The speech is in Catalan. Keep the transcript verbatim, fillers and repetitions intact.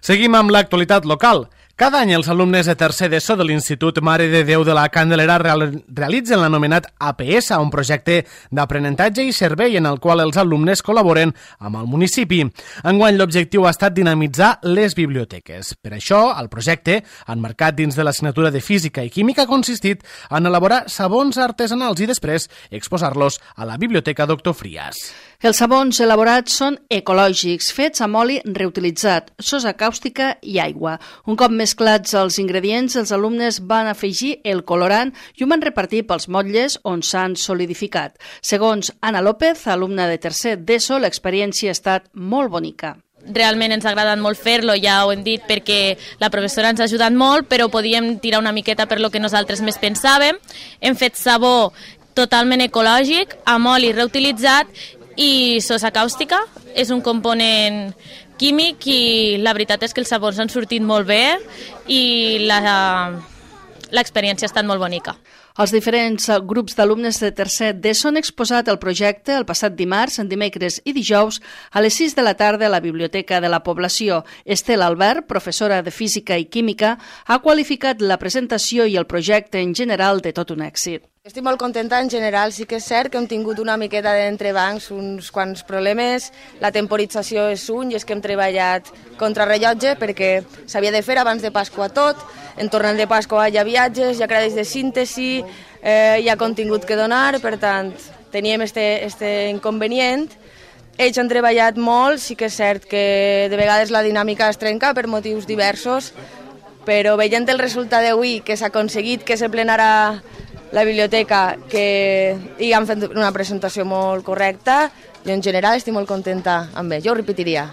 Seguim amb l'actualitat local. Cada any els alumnes de tercer d'ESO de l'Institut Mare de Déu de la Candelera realitzen l'anomenat A P S, un projecte d'aprenentatge i servei en el qual els alumnes col·laboren amb el municipi. Enguany l'objectiu ha estat dinamitzar les biblioteques. Per això, el projecte, emmarcat dins de l'assignatura de Física i Química, ha consistit en elaborar sabons artesanals i després exposar-los a la Biblioteca Doctor Frias. Els sabons elaborats són ecològics, fets amb oli reutilitzat, sosa càustica i aigua. Un cop mesclats els ingredients, els alumnes van afegir el colorant i ho van repartir pels motlles on s'han solidificat. Segons Ana López, alumna de tercer d'ESO, l'experiència ha estat molt bonica. Realment ens ha agradat molt fer-lo, ja ho hem dit, perquè la professora ens ha ajudat molt, però podíem tirar una miqueta per lo que nosaltres més pensàvem. Hem fet sabó totalment ecològic, amb oli reutilitzat i sosa càustica. És un component químic i la veritat és que els sabors han sortit molt bé i l'experiència ha estat molt bonica. Els diferents grups d'alumnes de tercer d'ESO han exposat el projecte el passat dimarts, en dimecres i dijous a les sis de la tarda a la Biblioteca de la Població. Estela Albert, professora de Física i Química, ha qualificat la presentació i el projecte en general de tot un èxit. Estic molt contenta en general, sí que és cert que hem tingut una miqueta d'entrebancs, uns quants problemes, la temporització és un i és que hem treballat contra rellotge perquè s'havia de fer abans de Pasqua tot, en tornant de Pasqua hi ha viatges, hi ha crèdits de síntesi, eh, hi ha contingut que donar, per tant teníem este, este inconvenient. Ells han treballat molt, sí que és cert que de vegades la dinàmica es trenca per motius diversos, però veient el resultat d'avui que s'ha aconseguit que se plenarà la biblioteca, que hi han fet una presentació molt correcta, jo en general estic molt contenta amb ells, jo ho repetiria.